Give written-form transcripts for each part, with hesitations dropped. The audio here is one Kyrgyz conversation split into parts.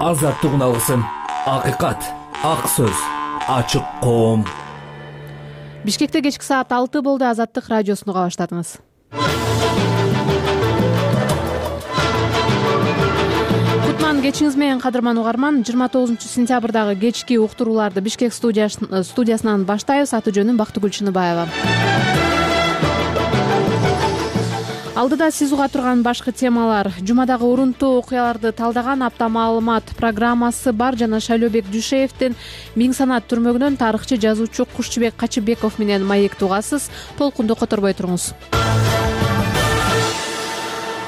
Азаттык алгысын, акыйкат, ак сөз, ачык коом. Бишкекте кечки саат 6 болду. Азаттык радиосун уга баштадыңыз. Кутман кечиңиз менен, кадырман угарман. 29-сентябрдагы кечки уктурууларды Бишкек студиясынан баштайбыз. Аты жөнүм Бактыгүл Чыныбаева. Алдыда сиз уга турган башкы темалар: жумадагы урунтуу окуяларды талдаган апта маалымат программасы бар жана Шайлообек Дүйшеевдин Миң санат түрмөгүнөн тарыхчы жазуучу Кушчубек Качыбеков менен маекти угасыз. Толкунду которбой туруңуз.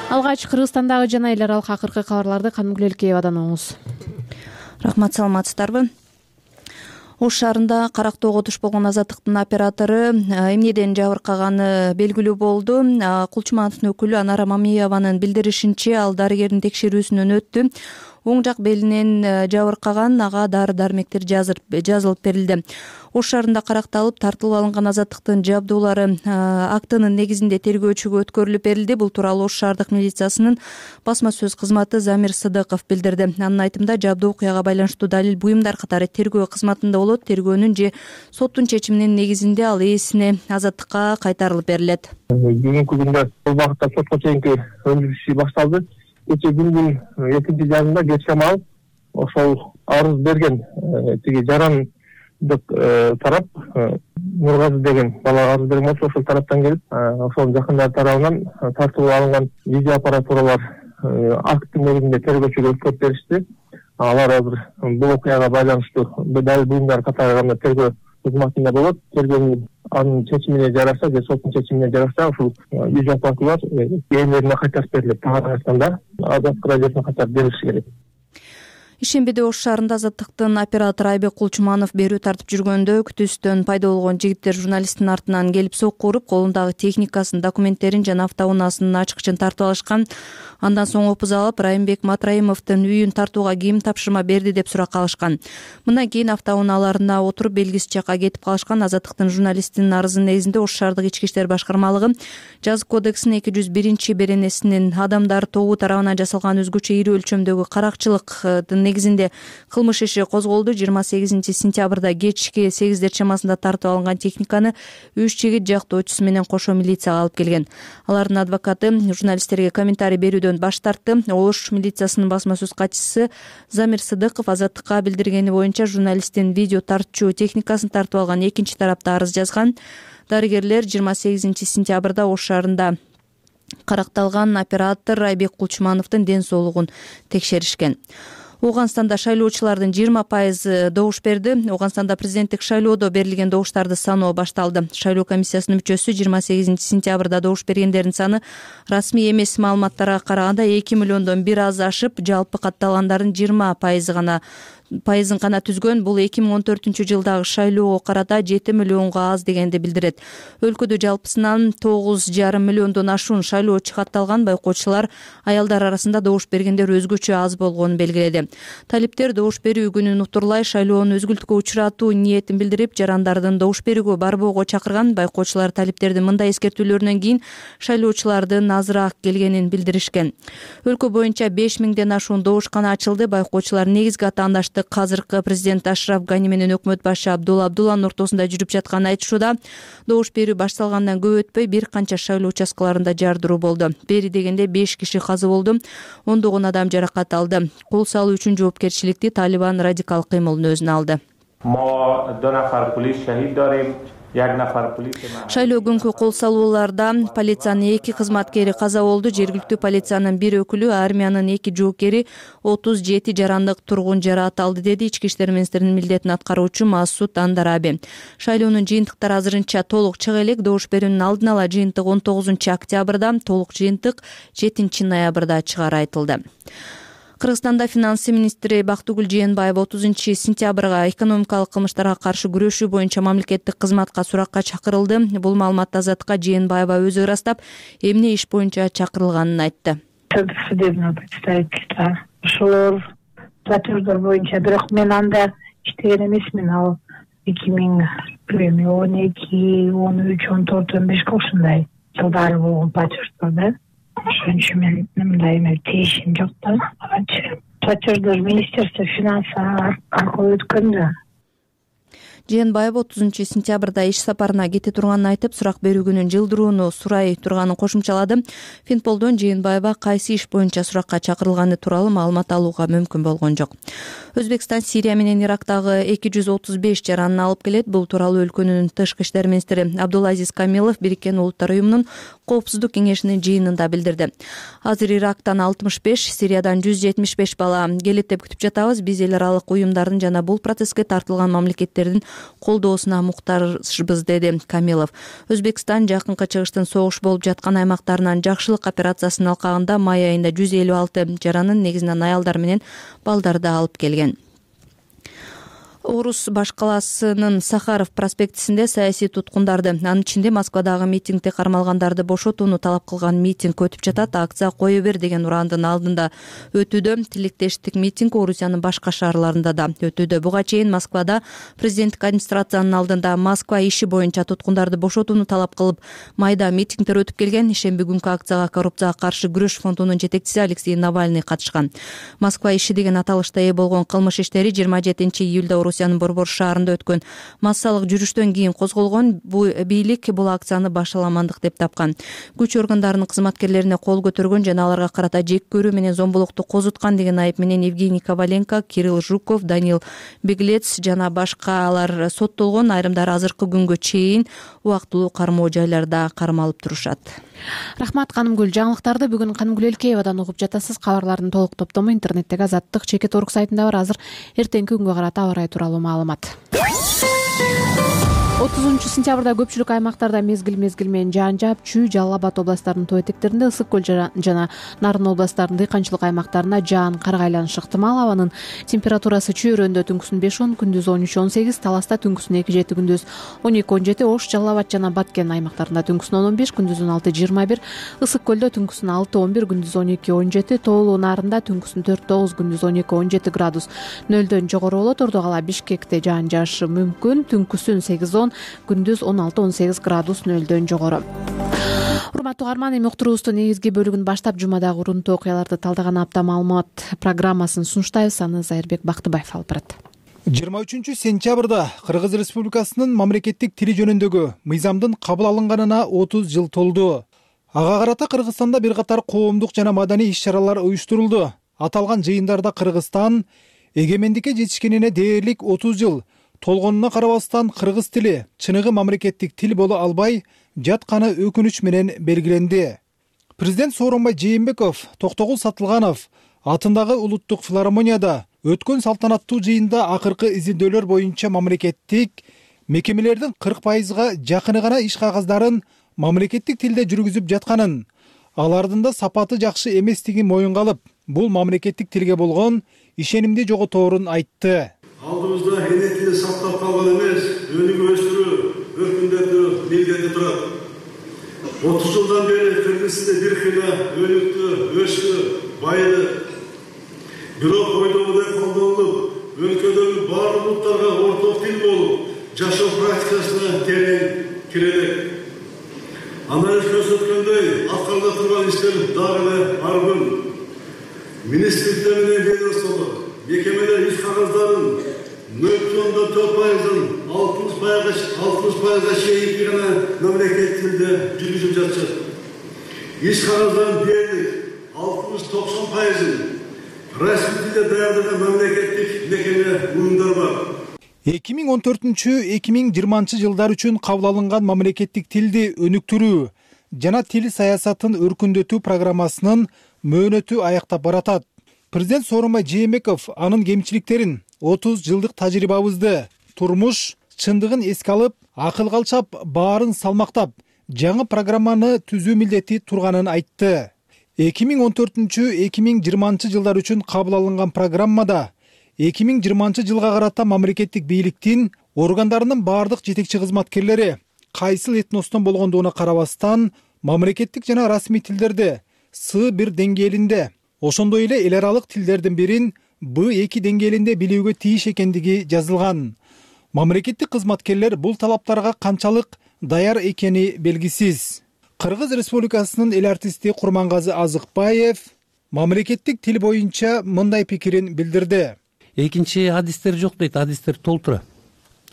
Алгач Кыргызстандагы жана эл аралык акыркы кабарларды Канымгүл Элкеевадан угуңуз. Рахмат, саламатсыздарбы? Ош шаарында карактоого туш болгон Азаттыктын оператору эмнеден жабыркаганы белгилүү болду. Кулчумановдун өкүлү Анара Мамиеванын билдиришинче, ал дарыгердин текшерүүсүнөн өттү. Оң жак белинен жабыркаган, ага дары-дармектер жазылып берилди. Ош шаарында каракталып тартылып алынган Азаттыктын жабдуулары актынын негизинде тергөөчүгө өткөрүлүп берилди. Бул тууралуу Ош шаардык милициясынын басма сөз кызматы Замир Сыдыков билдирди. Анын айтымында, жабдуу окуяга байланыштуу далил буюмдар катары тергөө кызматында болот. Тергөөнүн же соттун чечиминин негизинде ал ээсине Азаттыкка кайтарылып берилет. Бүгүнкү күндө бул багытта сотко чейинки өндүрүш иши башталды. Кечээ күндүн 2-жарымда кеч шамал ошол арыз берген тиги жарандык тарап, Нургазы деген бала арыз берген болчу, ошол тараптан келип, ошол жакындар тарабынан тартылып алынган видеоаппаратуралар акттын негизинде тергөөчүгө өткөрүп беришти. Алар азыр бул окуяга байланыштуу далил буюмдар катары гана тергөө кызматында болот. Тергөөнүн анын чечимине жараша же соттун чечимине жараша ушул видеоаппаратуралар ээлерине кайтарып берилет. Кыргызстанда Азаттык радиосуна кайтарып берилиши керек. Ишембиде Ош шаарында Азаттыктын оператору Айбек Кулчуманов берүү тартып жүргөндө күтүүсүнөн пайда болгон жигиттер журналисттин артынан келип сокку уруп, колундагы техникасын, документтерин жана автоунаасынын ачкычын тартып алышкан. Андан соң опуз алып, Райымбек Матраимовдун үйүн тартууга ким тапшырма берди деп суракка алышкан. Мындан кийин автоунааларына отуруп белгисиз жакка кетип калышкан. Азаттыктын журналистинин арызынын негизинде Ош шаардык ички иштер башкармалыгы жазык кодексинин 201-беренесинин адамдар тобу тарабынан жасалган өзгөчө ири өлчөмдөгү каракчылыктын негизинде кылмыш иши козголду. 28-сентябрда кечки 8 чамасында тартып алынган техниканы 3 жигит жактоочусу менен кошо милицияга алып келген. Алардын адвокаты журналисттерге комментарий берүүдөн баш тартты. Ош милициясынын басма сөз катчысы Замир Сыдыков Азаттыкка билдиргени боюнча, журналисттин видео тартчу техникасын тартып алган экинчи тарапта арыз жазган. Дарыгерлер 28-сентябрда Ош шаарында каракталган оператор Айбек Кулчумановдун ден соолугун текшеришкен. Ооганстанда шайлоочулардын 20% добуш берди. Ооганстанда президенттик шайлоодо берилген добуштарды саноо башталды. Шайлоо комиссиясынын мүчөсү 28-сентябрда добуш бергендердин саны расмий эмес маалыматтарга караганда 2 миллиондон бир аз ашып, жалпы катталгандардын 20% гана түзгөн. Бул 2014-жылдагы шайлоого карата 7 миллионго аз дегенди билдирет. Өлкөдө жалпысынан 9,5 миллиондон ашуун шайлоочу катталган. Байкоочулар аялдар арасында добуш бергендер өзгөчө аз болгонун белгиледи. Талиптер добуш берүү күнүн утурлай шайлоону өзгүлтүккө учуратуу ниетин билдирип, жарандардын добуш берүүгө барбоого чакырган. Байкоочулар талиптердин мындай эскертүүлөрүнөн кийин шайлоочулардын азыраак келгенин билдиришкен. Өлкө боюнча 5000ден ашуун добушкана ачылды. Байкоочулар негизги атаандаштык азыркы президент Ашраф Гани менен өкмөт башы Абдулла Абдулланын ортосунда жүрүп жатканын айтышууда. Добуш берүү башталгандан көп өтпөй бир канча шайлоо участкаларында жардыруу болду. Бери дегенде 5 киши каза болду, ондогон адам жаракат алды. Кол салуу үчүн жоопкерчиликти Талибан радикал кыймылдын өзүнө алды. Шайлоо күнкү кол салууларда полициянын 2 кызматкери каза болду. Жергиликтүү полициянын 1 өкүлү, армиянын 2 жоокери, 37 жарандык тургун жараат алды, деди Ички иштер министринин милдетин аткаруучу Масуд Андараби. Шайлоонун жыйынтыктары азырынча толук чыга элек. Добуш берүүнүн алдын ала жыйынтык 19-октябрда, толук жыйынтык 7-ноябрда чыгары айтылды. Кыргызстанда финансы министри Бактыгүл Жээнбаева 30-сентябрга экономикалык кылмыштарга каршы күрөшүү боюнча мамлекеттик кызматка суракка чакырылды. Бул маалыматты Азаттыкка Жээнбаева өзү ырастап, эмне иш боюнча чакырылганын айтты. Судебного представительства ошолор платеждор боюнча, бирок мен анда иштеген эмесмин. Ал 2012, 13, 14, 15 ошондой жылдары болгон платеждор да. Ошон үчүн мен мындай тиешим жок да. платеждор министерство финансов аркылуу өткөн да. Жээнбаева 30 сентябрда иш сапарына кете турганын айтып, сурак берүү күнүн жылдырууну сурай турганын кошумчалады. Финполдон Жээнбаева кайсы иш боюнча суракка чакырылганы тууралуу маалымат алууга мүмкүн болгон жок. Өзбекстан Сирия менен Ирактагы 235 жаранын алып келет. Бул тууралуу өлкөнүн тышкы иштер министри Абдулазиз Камилов Бириккен Улуттар уюмунун Коопсуздук кеңешинин жыйынында билдирди. Азыр Ирактан 65, Сириядан 175 бала келет деп күтүп жатабыз. Биз эл аралык уюмдардын жана бул процесске тартылган мамлекеттердин колдоосуна муктажбыз, деди Камилов. Өзбекстан жакынкы чыгыштын согуш болуп жаткан аймактарынан жакшылык операциясынын алкагында май айында 156 жаранын, негизинен аялдар менен балдарды алып келген. Орус баш каласынын Сахаров проспектисинде саясий туткундарды, анын ичинде Москвадагы митингде кармалгандарды бошотууну талап кылган митинг өтүп жатат. Акция кое бер деген урандын алдында өтүүдө. Тилектештик митинг Орусиянын башка шаарларында да өтүүдө. Буга чейин Москвада президенттик администрациянын алдында Москва иши боюнча туткундарды бошотууну талап кылып майда митингдер өтүп келген. Ишемби күнкү акцияга коррупцияга каршы күрөш фондунун жетекчиси Алексей Навальный катышкан. Москва иши деген аталышта ээ болгон кылмыш иштери 27-июлда Орусиянын Борбор шаарында өткөн массалык жүрүштөн кийин козголгон. Бийлик бул акцияны башаламандык деп тапкан. Күч органдарынын кызматкерлерине кол көтөргөн жана аларга карата жек көрүү менен зомбулукту козуткан деген айып менен Евгений Коваленко, Кирилл Жуков, Даниил Беглец жана башкалар соттолгон. Айрымдары азыркы күнгө чейин убактылуу кармоо жайларда кармалып турушат. Рахмат, Канымгүл. Жаңылыктарды бүгүн Канымгүл Элкеевадан угуп жатасыз. Кабарлардын толук топтому интернеттеги Азаттык.org сайтында бар. Азыр эртеңки күнгө карата аба ырайы тууралуу маалымат. 30 сентябрда көпчүлүк аймактарда мезгил менен жаан жаап, Чүй, Жалал Абад областарынын тоо этектеринде, Ысык көл жана Нарын областарынын дыйканчылык аймактарына жаан карга айланышы ыктымал. Абанын температурасы Чүй-Өрөндө түнкүсүн 5-10, күндүз 13-18, Таласта түнкүсүн 2-7, күндүз 12-17, Ош, Жалал Абад жана Баткен аймактарында түнкүсүн 10-15, күндүз 16-21, Ысык көлдө түнкүсүн 6-11, күндүз 12-17, Тоолуу Нарында түнкүсүн 4-9, күндүз 12-17 градус нөлдөн жогору болот. Ордо кала Бишкекте жаан жаашы мүмкүн, түнкүсүн 8-10, күндүз 16-18 градус нөлдөн жогору. Урматтуу угарман, эми уктуруубуздун негизги бөлүгүн баштап жумадагы урунтуу окуяларды талдаган апта маалымат программасын сунуштайбыз. Аны Зайырбек Бактыбаев алып барат. 23 сентябрда Кыргыз Республикасынын мамлекеттик тили жөнүндөгү мыйзамдын кабыл алынганына 30 жыл толду. Ага карата Кыргызстанда бир катар коомдук жана маданий иш-чаралар уюштурулду. Аталган жыйындарда Кыргызстан эгемендикке жетишкенине дээрлик 30 жыл толгонуна карабастан кыргыз тили чыныгы мамлекеттик тил боло албай жатканы өкүнүч менен белгиленди. Президент Сооронбай Жээнбеков Токтогул Сатылганов атындагы улуттук филармонияда өткөн салтанаттуу жыйында акыркы изилдөөлөр боюнча мамлекеттик мекемелердин 40%га жакыны гана иш кагаздарын мамлекеттик тилде жүргүзүп жатканын, алардын да сапаты жакшы эместигин моюнга алып, бул мамлекеттик тилге болгон ишенимди жоготорун айтты. Алдымызда эне тили сактап калган эмес, өнүгүп өстүрүү, өркүндөтүү милдети турат. 30 жылдан бери кыргыз тили бир хила өнүктү, өстү, байыды. Бирок ойдогудай колдонулуп, өлкөдөгү баардык улуттарга орток тил болуп, жашоо практикасына терең кирелек. Анализ көрсөткөндөй, аткарыла турган иштер дагы эле аргын. Министрликтер менен ведомстволор, мекемелер иш кагаздарын 0,4%, 60%га чейин гана мамлекеттик тилде жүргүзүп жатышат. Иш кагаздарын дээрлик 60-90%ын расмий тилде даярдаган мамлекеттик мекеме уюмдар бар. 2014-2020 жылдар үчүн кабыл алынган мамлекеттик тилди өнүктүрүү жана тил саясатын өркүндөтүү программасынын мөөнөтү аяктап баратат. Президент Сооронбай Жээнбеков анын кемчиликтерин, 30 жылдык тажрыйбабызды, турмуш чындыгын эске алып, акыл калчап, баарын салмактап, жаңы программаны түзүү милдети турганын айтты. 2014-2020 жылдар үчүн кабыл алынган программада 2020 жылга карата мамлекеттик бийликтин органдарынын баардык жетекчи кызматкерлери кайсыл этностон болгондугуна карабастан мамлекеттик жана расмий тилдерди С1 деңгээлинде, ошондой эле эл аралык тилдердин бирин Б2 деңгээлинде билүүгө тийиш экендиги жазылган. Мамлекеттик кызматкерлер бул талаптарга канчалык даяр экени белгисиз. Кыргыз Республикасынын эл артисти Курмангазы Азыкбаев мамлекеттик тил боюнча мындай пикирин билдирди. Экинчи адистер жок дейт, адистер толтура.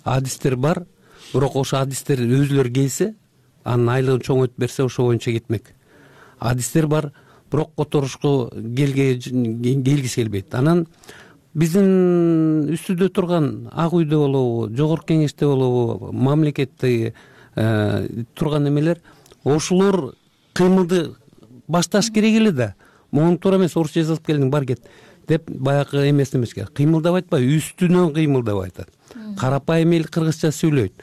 Адистер бар, бирок ошо адистер өзүлөрү келсе, анын айлыгын чоң өтүп берсе ошо боюнча кетмек. Адистер бар, бирок которушко келгиси келбейт. Анан биздин үстүдө турган Ак үйдө болобу, жогорку кеңеште болобу, мамлекетте турган эмелер, ошолор кыймылды башташ керек эле да. Могу туура эмес, орусча жазылып келдиң, бар кет деп баягы эмеске кыймылдап айтпайбы, үстүнөн кыймылдап айтат. Карапайым эл кыргызча сүйлөйт.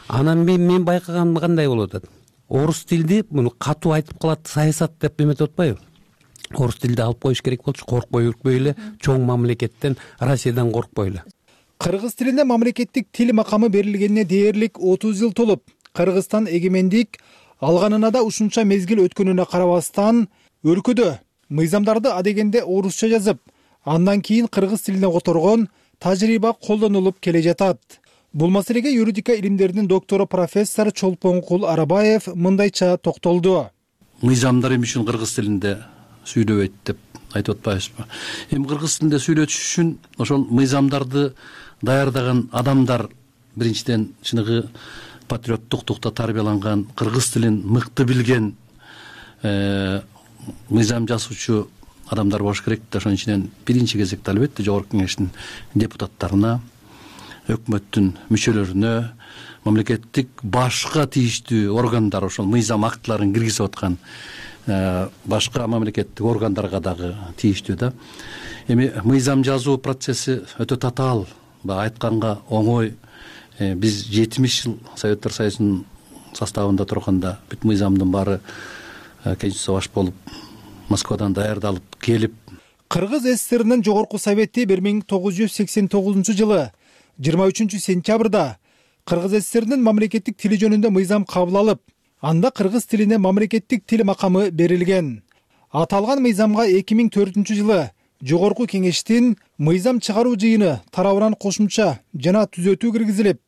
Анан мен байкаганым кандай болуп атат? Орус тилди муну катуу айтып калат, саясат деп эметип атпайбы? Орус тилди алып коюш керек болчу, коркпой үркпөй эле, чоң мамлекеттен, Россиядан коркпой эле. Кыргыз тилине мамлекеттик тил макамы берилгенине дээрлик 30 жыл толуп, Кыргызстан эгемендик алганына да ушунча мезгил өткөнүнө карабастан, өлкөдө мыйзамдарды адегенде орусча жазып, андан кийин кыргыз тилине которгон тажрыйба колдонулуп келе жатат. Бул маселеге юридика илимдеринин доктору профессор Чолпонкул Арабаев мындайча токтолду. Мыйзамдар эмне үчүн кыргыз тилинде сүйлөбөйт деп айтып атпайбызбы? Эми кыргыз тилинде сүйлөтүш үчүн ошол мыйзамдарды даярдаган адамдар биринчиден чыныгы патриоттуктукта тарбияланган, кыргыз тилин мыкты билген мыйзам жазуучу адамдар болуш керек да. Ошонун ичинен биринчи кезекте албетте жогорку кеңештин депутаттарына, өкмөттүн мүчөлөрүнө, мамлекеттик башка тийиштүү органдар, ошол мыйзам актыларын киргизип аткан башка мамлекеттик органдарга дагы тийиштүү да. Эми мыйзам жазуу процесси өтө татаал, айтканга оңой. Биз 70 жыл Советтер Союзунун составында турганда бүт мыйзамдын баары Кенжеси баш болуп Москвадан даярдалып келип. Кыргыз ССРнин жогорку совети 1989 жылы 23 сентябрда Кыргыз ССРнин мамлекеттик тили жөнүндө мыйзам кабыл алып, анда кыргыз тилине мамлекеттик тил макамы берилген. Аталган мыйзамга 2004 жылы жогорку кеңештин мыйзам чыгаруу жыйыны тарабынан кошумча жана түзөтүү киргизилип,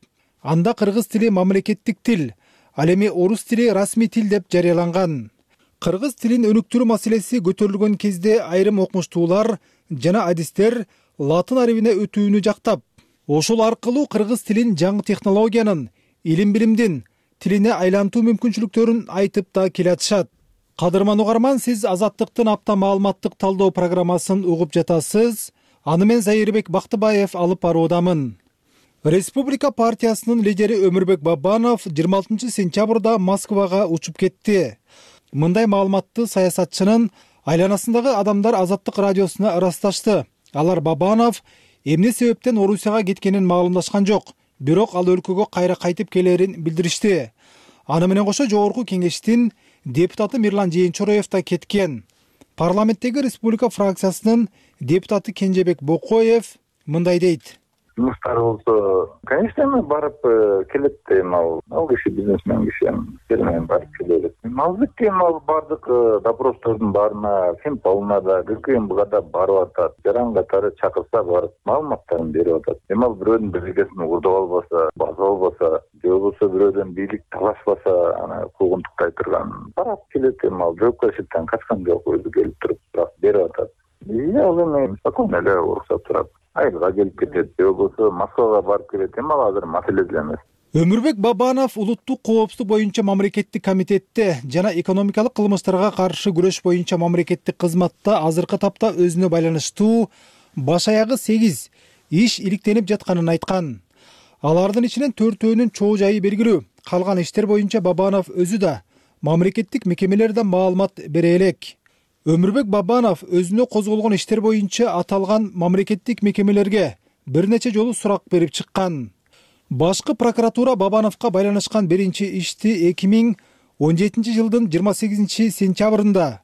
анда кыргыз тили мамлекеттик тил, ал эми орус тили расмий тил деп жарыяланган. Кыргыз тилин өнүктүрүү маселеси көтөрүлгөн кезде айрым окумуштуулар жана адистер латын арабине өтүүнү жактап, ошол аркылуу кыргыз тилин жаңы технологиянын, илим-билимдин тилине айлантуу мүмкүнчүлүктөрүн айтып да келатышат. Кадырман угарман, сиз Азаттыктын апта маалыматтык талдоо программасын угуп жатасыз. Аны мен Зайырбек Бактыбаев алып баруудамын. Республика партиясынын лидери Өмүрбек Бабанов 26 сентябрда Москвага учуп кетти. Мындай маалыматты саясатчынын айланасындагы адамдар Азаттык радиосуна ырасташты. Алар Бабанов эмне себептен Орусияга кеткенин маалымдашкан жок, бирок ал өлкөгө кайра кайтып келерин билдиришти. Аны менен кошо жогорку кеңештин депутаты Мирлан Жээнчороев да кеткен. Парламенттеги республика фракциясынын депутаты Кенжебек Бокоев мындай дейт. Жумуштар болсо, конечно, эми барып келет эми ал киши бизнесмен киши менен барып келет. Албетте ал бардык допростордун баарына, Финполна да, ГКМБга да барып атат. Жаран катары чакырса барып маалыматтарын берип атат. Эми ал бирөөнүн бийлигин уурдап албаса, база албаса, же болбосо бирөөдөн бийлик талашпаса, аны куугунтуктай турган барып келет. Эми ал жоопкерчиликтен качкан жок, өзү келип туруп берип атат. Ал эми спокойно эле уруксат турат. Айылга келип кетет, же болбосо Москвага барып келет. Эми ал азыр маселе деле эмес. Өмүрбек Бабанов улуттук коопсуздук боюнча мамлекеттик комитетте жана экономикалык кылмыштарга каршы күрөш боюнча мамлекеттик кызматта азыркы тапта өзүнө байланыштуу баш аягы 8 иш иликтенип жатканын айткан. Алардын ичинен 4-өөнүн чоо жайы белгилүү. Калган иштер боюнча Бабанов өзү да мамлекеттик мекемелерден маалымат бере элек. Өмүрбек Бабанов өзүнө козголгон иштер боюнча аталган мамлекеттик мекемелерге бир нече жолу сурак берип чыккан. Башкы прокуратура Бабановго байланышкан биринчи ишти 2017 жылдын 28 сентябрында,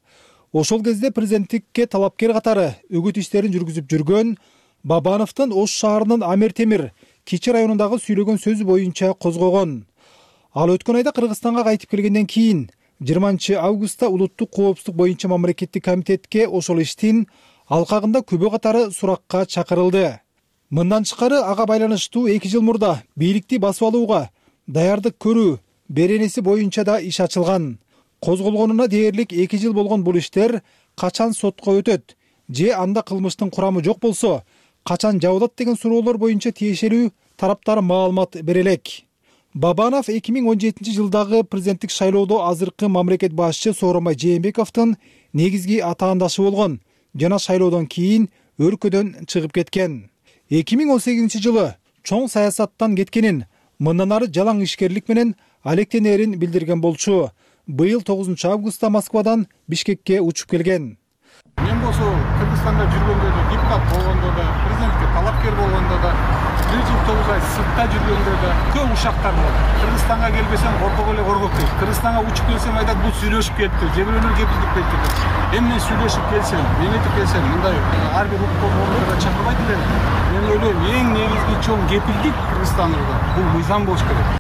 ошол кезде президенттикке талапкер катары үгүт иштерин жүргүзүп жүргөн Бабановдун Ош шаарынын Амир Темир Кичи районундагы сүйлөгөн сөзү боюнча козгогон. Ал өткөн айда Кыргызстанга кайтып келгенден кийин 20 августта улуттук коопсуздук боюнча мамлекеттик комитетке ошол иштин алкагында күбө катары суракка чакырылды. Мындан тышкары ага байланыштуу 2 жыл мурда бийликти басып алууга даярдык көрүү беренеси боюнча да иш ачылган. Козголгонуна дээрлик 2 жыл болгон бул иштер качан сотко өтөт же анда кылмыштын курамы жок болсо качан жабылат деген суроолор боюнча тиешелүү тараптар маалымат бере элек. Бабанов 2017 жылдагы президенттик шайлоодо азыркы мамлекет башчы Сооронбай Жээнбековдун негизги атаандашы болгон жана шайлоодон кийин өлкөдөн чыгып кеткен. 2018 жылы чоң саясаттан кеткенин, мындан ары жалаң ишкерлик менен алектенерин билдирген болчу. Быйыл 9 августта Москвадан Бишкекке учуп келген. Мен болсо Кыргызстанда жүргөндө да, депутат болгондо да, президентке талапкер болгондо да, 1-9 ай сыртта жүргөндө да көп ушактар болот. Кыргызстанга келбесем коркок эле коркок дейт. Кыргызстанга учуп келсем айтат бул сүйлөшүп кетти, же бирөөлөр кепилдик кетти. Эми мен сүйлөшүп келсем, мемлекетке келсем, мындай ар бир укуктуу чакырбайт элем. Мен ойлойм, эң негизги чоң кепилдик Кыргызстанда бул мыйзам болуш керек.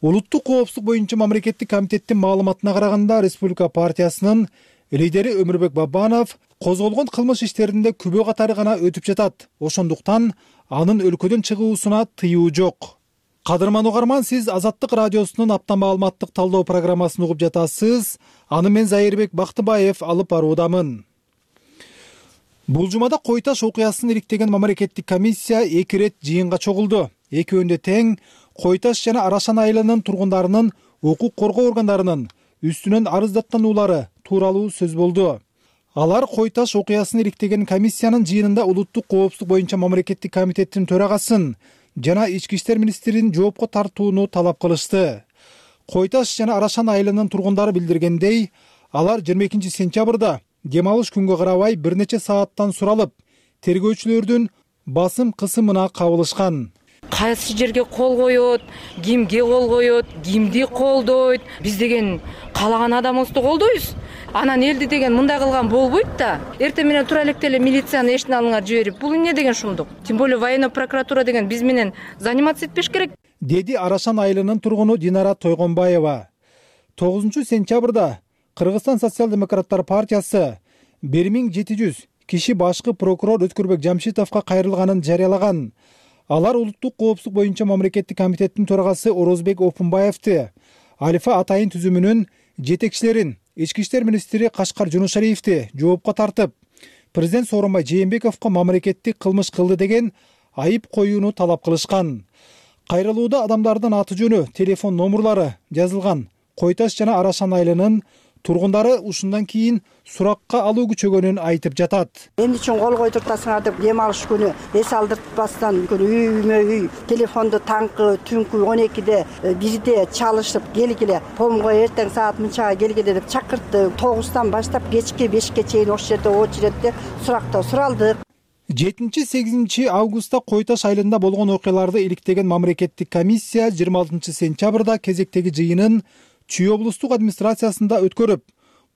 Улуттук коопсуздук боюнча мамлекеттик комитеттин маалыматына караганда, Республика партиясынын лидери Өмүрбек Бабанов козголгон кылмыш иштеринде күбө катары гана өтүп жатат. Ошондуктан анын өлкөдөн чыгуусуна тыюу жок. Кадырман угарман, сиз Азаттык радиосунун апта маалыматтык талдоо программасын угуп жатасыз. Аны мен Зайырбек Бактыбаев алып баруудамын. Бул жумада Кой Таш окуясын иликтеген мамлекеттик комиссия 2 рет жыйынга чогулду. Экөөндө тең Кой Таш жана Арашан айылынын тургундарынын укук коргоо органдарынын үстүнөн арыздаттануулары тууралуу сөз болду. Алар Кой Таш окуясын иликтеген комиссиянын жыйынында улуттук коопсуздук боюнча мамлекеттик комитеттин төрагасын жана ички иштер министрин жоопко тартууну талап кылышты. Кой Таш жана Арашан айылынын тургундары билдиргендей, алар 22 сентябрда дем алыш күнгө карабай бир нече сааттан суралып, тергөөчүлөрдүн басым кысымына кабылышкан. Кайсы жерге кол коет, кимге кол коет, кимди колдойт, биз деген каалаган адамыбызды колдойбуз. Анан элди деген мындай кылган болбойт да. Эртең менен тура электе эле милицияны эшине алыңар жиберип, бул эмне деген шумдук? Тем более военный прокуратура деген биз менен заниматься этпеш керек. Деди Арашан айылынын тургуну Динара Тойгонбаева. 9 сентябрда Кыргызстан социал-демократтар партиясы 1700 киши башкы прокурор Өткүрбек Жамшитовго кайрылганын жарыялаган. Алар улуттук коопсуздук боюнча мамлекеттик комитеттин төрагасы Орозбек Опунбаевди, Алифа Атайын түзүмүнүн жетекчилерин, ички иштер министри Кашкар Жунушариевди жоопко тартып, президент Сооронбай Жээнбековго мамлекеттик кылмыш кылды деген айып коюуну талап кылышкан. Кайрылууда адамдардын аты жөнү, телефон номурлары жазылган. Кой Таш жана Арашан айылынын тургундары ушундан кийин суракка алуу күчөгөнүн айтып жатат. Эмне үчүн кол койдуртасыңар деп дем алыш күнү эс алдыртпастан үймө үй телефонду таңкы түнкү 12де 1де чалышып келгиле, помго эртең саат мынчага келгиле деп чакыртты. 9-тан баштап кечки 5ке чейин ошол жерде очередде суракта суралдык. 7-8 августта Кой Таш айылында болгон окуяларды иликтеген мамлекеттик комиссия 26 сентябрда кезектеги жыйынын Чүй облустук администрациясында өткөрүп,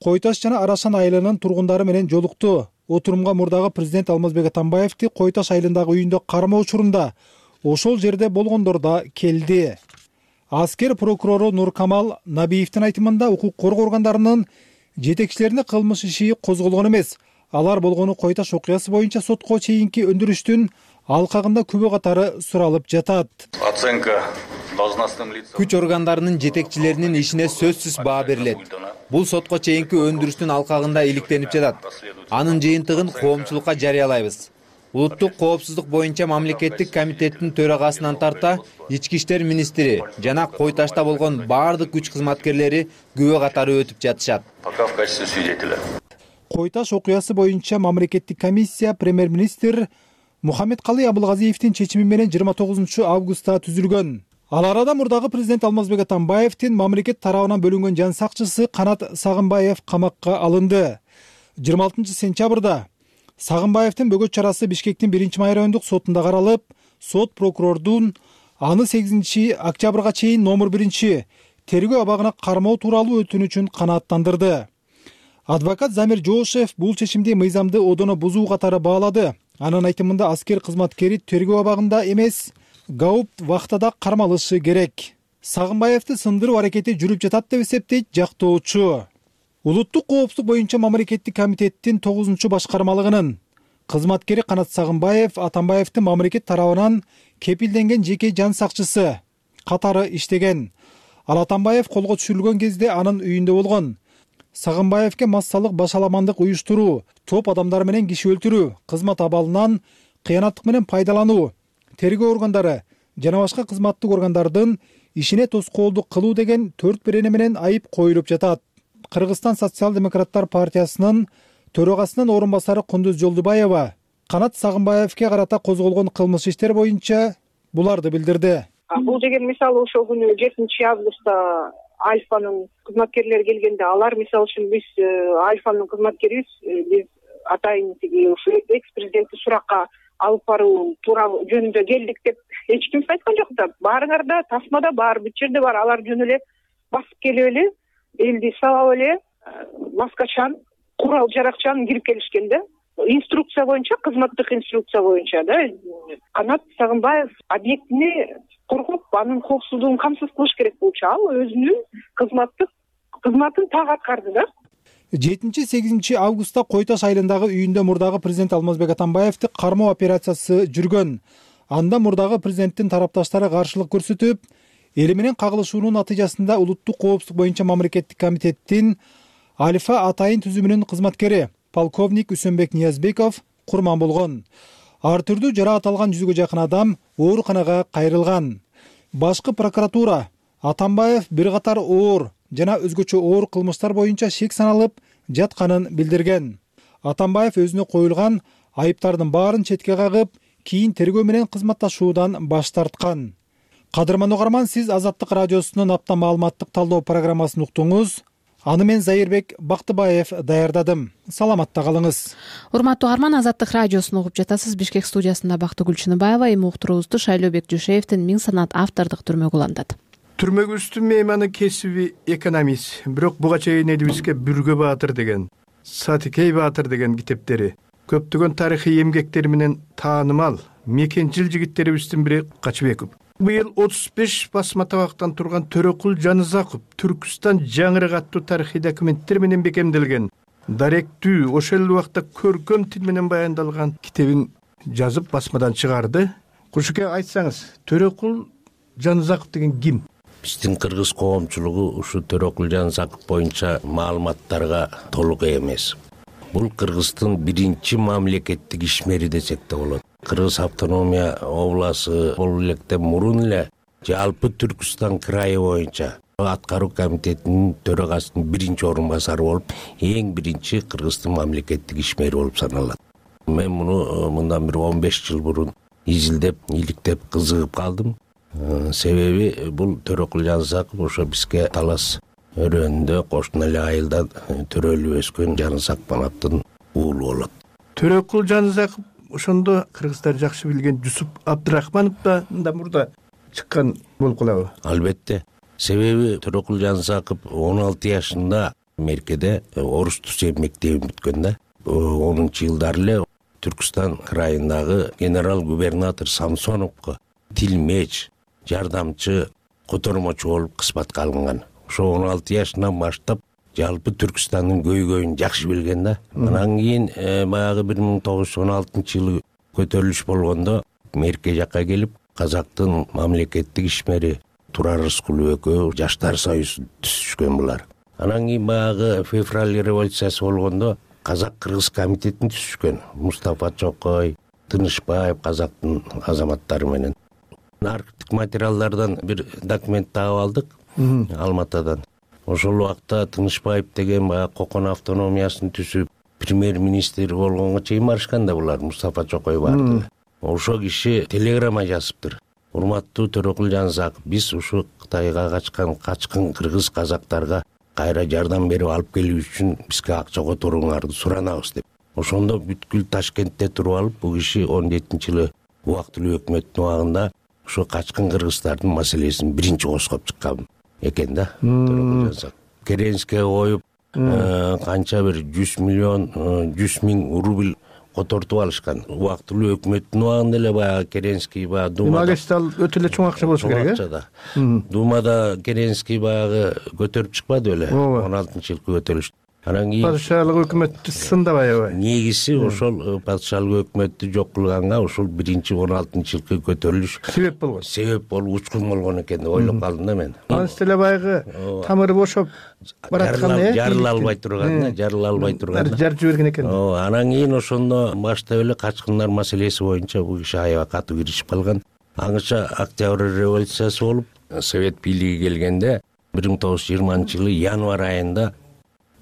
Кой Таш жана Арашан айылынын тургундары менен жолукту. Отурумга мурдагы президент Алмазбек Атамбаевди Кой Таш айылындагы үйүндө кармоо учурунда ошол жерде болгондор да келди. Аскер прокурору Нуркамал Набиевдин айтымында укук коргоо органдарынын жетекчилерине кылмыш иши козголгон эмес. Алар болгону Кой Таш окуясы боюнча сотко чейинки өндүрүштүн алкагында күбө катары суралып жатат. Оценка күч органдарынын жетекчилеринин ишине сөзсүз баа берилет. Бул сотко чейинки өндүрүштүн алкагында иликтенип жатат. Анын жыйынтыгын коомчулукка жарыялайбыз. Улуттук коопсуздук боюнча мамлекеттик комитеттин төрагасынан тарта ички иштер министри жана Кой Ташта болгон баардык күч кызматкерлери күбө катары өтүп жатышат. Пока в качестве свидетеля. Кой Таш окуясы боюнча мамлекеттик комиссия премьер-министр Мухаммедкалый Абылгазиевдин чечими менен 29 августта түзүлгөн. Ал арада мурдагы президент Алмазбек Атамбаевдин мамлекет тарабынан бөлүнгөн жан сакчысы Канат Сагынбаев камакка алынды. 26 сентябрда Сагынбаевдин бөгөт чарасы Бишкектин 1-май райондук сотунда каралып, сот прокурордун аны 8 октябрга чейин номер 1 тергөө абагына кармоо тууралуу өтүнүчүн канааттандырды. Адвокат Замир Жоошев бул чечимди мыйзамды одоно бузуу катары баалады. Анын айтымында аскер кызматкери тергөө абагында эмес, гауп вахтада кармалышы керек. Сагынбаевди сындыруу аракети жүрүп жатат деп эсептейт жактоочу. Улуттук коопсуздук боюнча мамлекеттик комитеттин 9 башкармалыгынын кызматкери Канат Сагынбаев Атамбаевдин мамлекет тарабынан кепилденген жеке жан сакчысы катары иштеген. Ал Атамбаев колго түшүрүлгөн кезде анын үйүндө болгон. Сагынбаевке массалык башаламандык уюштуруу, топ адамдар менен киши өлтүрүү, кызмат абалынан кыянаттык менен пайдалануу, тергөө органдары жана башка кызматтык органдардын ишине тоскоолдук кылуу деген 4 берене менен айып коюлуп жатат. Кыргызстан социал-демократтар партиясынын төрагасынын орун басары Кундуз Жолдубаева Канат Сагынбаевке карата козголгон кылмыш иштер боюнча буларды билдирди. Бул деген мисалы ошол күнү 7 августта Альфанын кызматкерлери келгенде алар мисалы үчүн биз Альфанын кызматкерибиз, биз атайын тиги ушу экс-президентти суракка алып баруу тууралуу жөнүндө келдик деп эч ким айткан жок да. Баарыңар да тасмада бар, бүт жерде бар. Алар жөн эле басып келип эле, элди сабап эле, маскачан, курал жаракчан кирип келишкен да. Инструкция боюнча, кызматтык инструкция боюнча да. Канат Сагынбаев объектини коргоп, анын коопсуздугун камсыз кылыш керек болчу. Ал өзүнүн кызматын так аткарды да. 7-8 августта Кой Таш айылындагы үйүндө мурдагы президент Алмазбек Атамбаевди кармоо операциясы жүргөн. Анда мурдагы президенттин тарапташтары каршылык көрсөтүп, эли менен кагылышуунун натыйжасында улуттук коопсуздук боюнча мамлекеттик комитеттин Альфа атайын түзүмүнүн кызматкери полковник Үсөнбек Ниязбеков курман болгон. Ар түрдүү жараат алган 100гө жакын адам ооруканага кайрылган. Башкы прокуратура Атамбаев бир катар оор жана өзгөчө оор кылмыштар боюнча шек саналып жатканын билдирген. Атамбаев өзүнө коюлган айыптардын баарын четке кагып, кийин тергөө менен кызматташуудан баш тарткан. Кадырман угарман, сиз Азаттык радиосунун апта маалыматтык талдоо программасын уктуңуз. Аны мен Зайырбек Бактыбаев даярдадым. Саламатта калыңыз. Урматтуу угарман, Азаттык радиосун угуп жатасыз. Бишкек студиясында Бактыгүл Чыныбаева, эми уктуруубузду Шайлообек Жушеевдин Миң санат автордук түрмөгү улантат. Түрмөгүбүздүн мейманы кесиби экономист, бирок буга чейин элибизге Бүргө Баатыр деген, Сатикей Баатыр деген китептери, көптөгөн тарыхый эмгектери менен таанымал мекенчил жигиттерибиздин бири Качыбеков. Быйыл 35 басма табактан турган Төрөкул Жанызаков Түркүстан жаңырык аттуу тарыхый документтер менен бекемделген, даректүү, ошол эле убакта көркөм тил менен баяндалган китебин жазып басмадан чыгарды. Кушуке, айтсаңыз, Төрөкул Жанызаков деген ким? Биздин кыргыз коомчулугу ушу Төрөкул Жанызаков боюнча маалыматтарга толук эмес. Бул Кыргыздын биринчи мамлекеттик ишмери десек да болот. Кыргыз автономия обласы болуу электен мурун эле жалпы Түркүстан крайы боюнча аткаруу комитетинин төрагасынын биринчи орун басары болуп, эң биринчи Кыргыздын мамлекеттик ишмери болуп саналат. Мен муну мындан бир 15 жыл мурун изилдеп, иликтеп, кызыгып калдым. Себеби бул Төрөкул Жанызаков ошо бизге талас өрөөнүндө кошуна эле айылдан төрөлүп өскөн Жанызак Манаптын уулу болот. Төрөкул Жанызаков ошондо кыргыздар жакшы билген Жусуп Абдрахмановдон да мурда чыккан болуп калабы? Албетте. Себеби Төрөкул Жанызаков 16 жашында Меркеде орус түсү мектебин бүткөн да. 10-жылдары эле Түркүстан крайындагы генерал-губернатор Самсоновго тилмеч, жардамчы, котормочу болуп кызматка алынган. Ошо 16 жашынан баштап жалпы Түркүстандын көйгөйүн жакшы билген да. Анан кийин баягы 1916-жылы көтөрүлүш болгондо Мерке жакка келип, казактын мамлекеттик ишмери Турар Рыскулов экөө Жаштар союзун түзүшкөн булар. Анан кийин баягы февраль революциясы болгондо Казак-Кыргыз комитетин түзүшкөн. Мустафа Чокой, Тынышбаев казактын азаматтары менен. Архивдик материалдардан бир документ таап алдык Алматадан. Ошол убакта Тынышбаев деген баягы Кокон автономиясын түзүп, премьер-министр болгонго чейин барышкан да булар, Мустафа Чокой барды. Ошол киши телеграмма жазыптыр. Урматтуу Төрөкул Жанызаков, биз ушу Кытайга качкан кыргыз казактарга кайра жардам берип алып келүү үчүн бизге акча которуңарды суранабыз деп. Ошондо бүткүл Ташкентте туруп алып, бул киши 17-жылы убактылуу өкмөттүн убагында ошо качкан кыргыздардын маселесин биринчи козгоп чыккан экен да. Керенскийге коюп, канча бир 100 миң рубль котортуп алышкан. Убактылуу өкмөттүн убагында эле баягы Керенский баягы Думада өтө эле чоң акча болушу керек, Думада Керенский баягы көтөрүп чыкпады беле? 16-жылкы көтөрүлүш. Анан кийин падышалык өкмөттү сындабай аябай. Негизи ошол падышалык өкмөттү жок кылганга ушул 16-жылкы көтөрүлүш себеп болуп учкун болгон экен деп ойлоп калдым да мен. Анын деле баягы тамыры бошоп бараткан жарыла албай турганда жарып жиберген экен. Анан кийин ошондо баштап эле качкындар маселеси боюнча бул киши аябай катуу киришип калган. Аңыча Октябрь революциясы болуп, Совет бийлиги келгенде 1920-жылы январь айында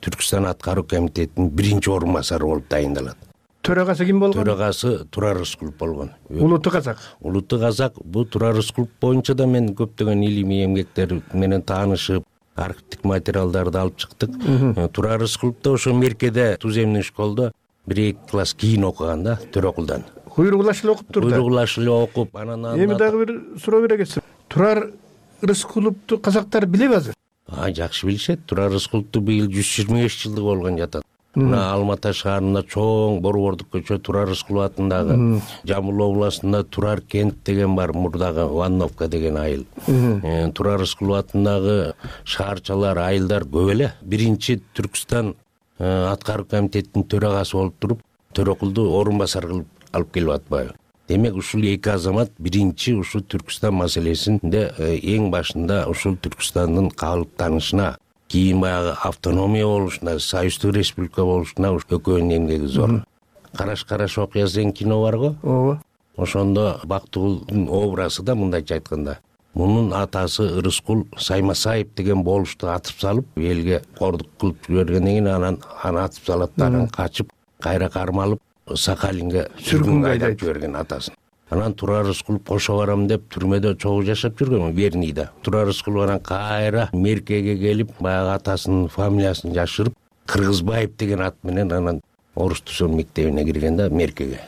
Түркүстан аткаруу комитетинин биринчи орун басары болуп дайындалат. Төрагасы ким болгон? Төрагасы Турар Рыскулов болгон. Улуттуу казак. Улуттуу казак. Бул Турар Рыскулов боюнча да мен көптөгөн илимий эмгектер менен таанышып, архивдик материалдарды алып чыктык. Турар Рыскулов да ошо Меркеде туземный школдо 1-2 класс кийин окуган да, Төрөкулдан. Куйругулаш эле окуп турду. Куйругулаш эле окуп, анан эми дагы бир суроо бере кетсем. Турар Рыскуловду казактар билеби азыр? Жакшы билишет. Турар Рыскуловду быйыл 125 жылдыгы болгон жатат. Мына Алматы шаарында чоң Борбордук көчө Турар Рыскулов атындагы, Жамбыл областында Турар кент деген бар, мурдагы Ванновка деген айыл. Турар Рыскулов атындагы шаарчалар, айылдар көп эле. Биринчи Түркүстан аткаруу комитетинин төрагасы болуп туруп, Төрөкулду орун басар кылып алып келип атпайбы? Демек ушул эки азамат биринчи ушул Түркүстан маселесинде эң башында ушул Түркүстандын калыптанышына, кийин баягы автономия болушуна, союздук республика болушуна экөөнүн эмгеги зор. Караш окуясы деген кино бар го? Ооба. Ошондо Бактыгулдун образы да мындайча айтканда, мунун атасы Рыскул Саймасаев деген болушту атып салып, элге кордук кылып жибергенден кийин анан атып салат да, анан качып, кайра кармалып Сахалинге сүргүнгө айдап жиберген атасын. Анан Турар Рыскулов кошо барам деп түрмөдө чогуу жашап жүргөн, Вернийде. Турар Рыскулов анан кайра Меркеге келип, баягы атасынын фамилиясын жашырып, Кыргызбаев деген ат менен анан орус түзөм мектебине кирген да, Меркеге.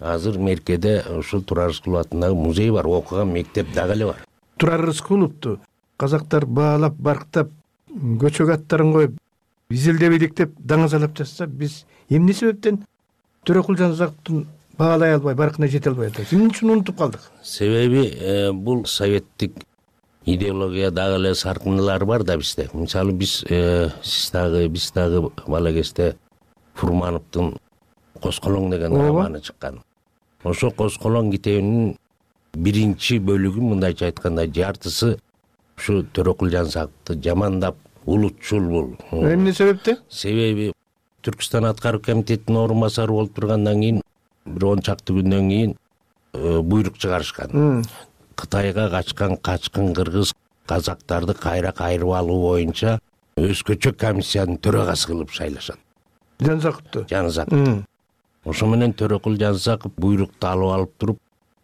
Азыр Меркеде ушул Турар Рыскулов атындагы музей бар, окуган мектеп дагы эле бар. Турар Рыскуловду казактар баалап, барктап, көчөк аттарын коюп, изилдеп иликтеп, даңазалап жатса, биз эмне себептен Төрөкул Жанзаковдун баалай албай, баркына жете албай атабыз? Эмне үчүн унутуп калдык? Себеби бул советтик идеология дагы эле саркындылары бар да бизде. Мисалы биз дагы бала кезде Фурмановдун Косколоң деген романы чыккан. Ошо Косколоң китебинин биринчи бөлүгү, мындайча айтканда, жартысы ушу Төрөкул Жанзаковду жамандап, улутчул бул. Эмне себептен? Себеби Түркүстан аткаруу комитетинин орун басары болуп тургандан кийин бир 10 чакты күндөн кийин буйрук чыгарышкан. Кытайга качкан качкын кыргыз казактарды кайра кайрып алуу боюнча өзгөчө комиссиянын төрагасы кылып шайлашат. Жанзаковду. Ошо менен Төрөкул Жанзаков буйрукту алып туруп,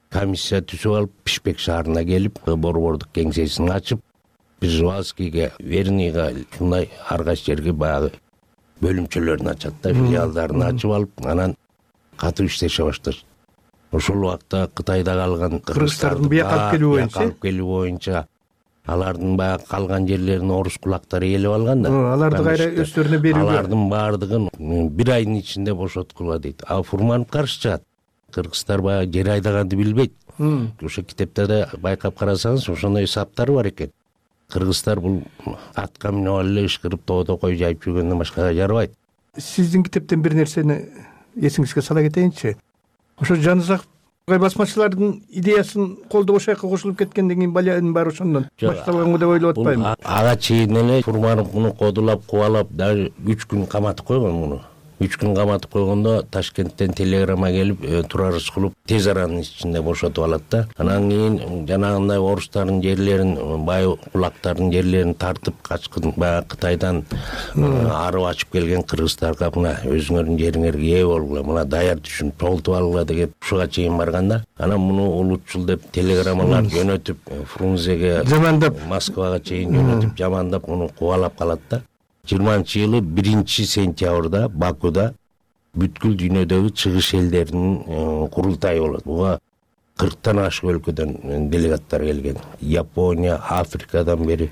комиссия түзүп алып, Пишпек шаарына келип, Борбордук кеңсесин ачып, Пржевальскийге, Вернийга, ушундай ар кайсы жерге баягы бөлүмчөлөрүн ачат да, филиалдарын ачып алып, анан катуу иштеше башташат. Ошол убакта Кытайда калган кыргыздардын бияка алып келүү боюнча алардын баягы калган жерлерин орус кулактары ээлеп алган да. Аларды кайра өздөрүнө берүүгө. Алардын баардыгын 1 айдын ичинде бошоткула дейт. А Фурманов каршы чыгат. Кыргыздар баягы жер айдаганды билбейт. Ошо китептерде байкап карасаңыз, ошондой саптар бар экен. Кыргыздар бул атка минип алып эле ышкырып тоодо кой жайып жүргөндөн башкага жарабайт. Сиздин китептен бир нерсени эсиңизге сала кетейинчи. Ошо Жанзаков басмачылардын идеясын колдоп ошол жака кошулуп кеткенден кийин балянын баары ошондон башталганго деп ойлоп атпаймынбы? Ага чейин эле Фурманов муну кодулап, кубалап, даже 3 күн каматып койгон муну. 3 күн каматып койгондо Ташкенттен телеграмма келип, Турар Рыскулов тез аранын ичинде бошотуп алат да. Анан кийин жанагындай орустардын жерлерин, бай кулактардын жерлерин тартып, качкын баягы Кытайдан арып ачып келген кыргыздарга мына өзүңөрдүн жериңерге ээ болгула, мына даяр түшүн толтуп алгыла деп ушуга чейин барган да. Анан муну улутчул деп телеграммалар жөнөтүп, Фрунзеге, жамандап, Москвага чейин жөнөтүп, жамандап муну кубалап калат да. 20-жылы 1-сентябрда Бакуда бүткүл дүйнөдөгү чыгыш элдеринин курултайы болот. Буга 40тан ашык өлкөдөн делегаттар келген. Япония, Африкадан бери,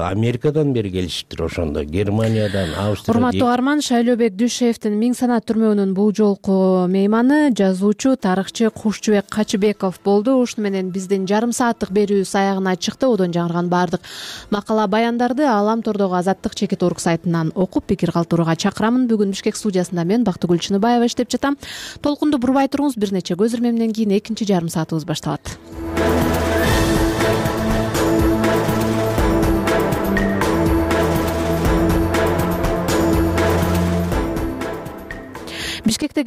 Америкадан бери келишиптир, ошондо Германиядан, Австриядан. Урматтуу Арман, Шайлообек Дүйшеевдин Миң Санат түрмөгүнүн бул жолку мейманы жазуучу, тарыхчы Кушчубек Качыбеков болду. Ушуну менен биздин жарым сааттык берүүбүз аягына чыкты. Одон жаңырган баардык макала баяндарды Алам тордогу Азаттык чекит орг сайтынан окуп пикир калтырууга чакырамын. Бүгүн Бишкек студиясында мен Бактыгүл Чыныбаева иштеп жатам. Толкунду бурбай туруңуз, бир нече көз ирмемден кийин экинчи жарым саатыбыз башталат. Бишкекте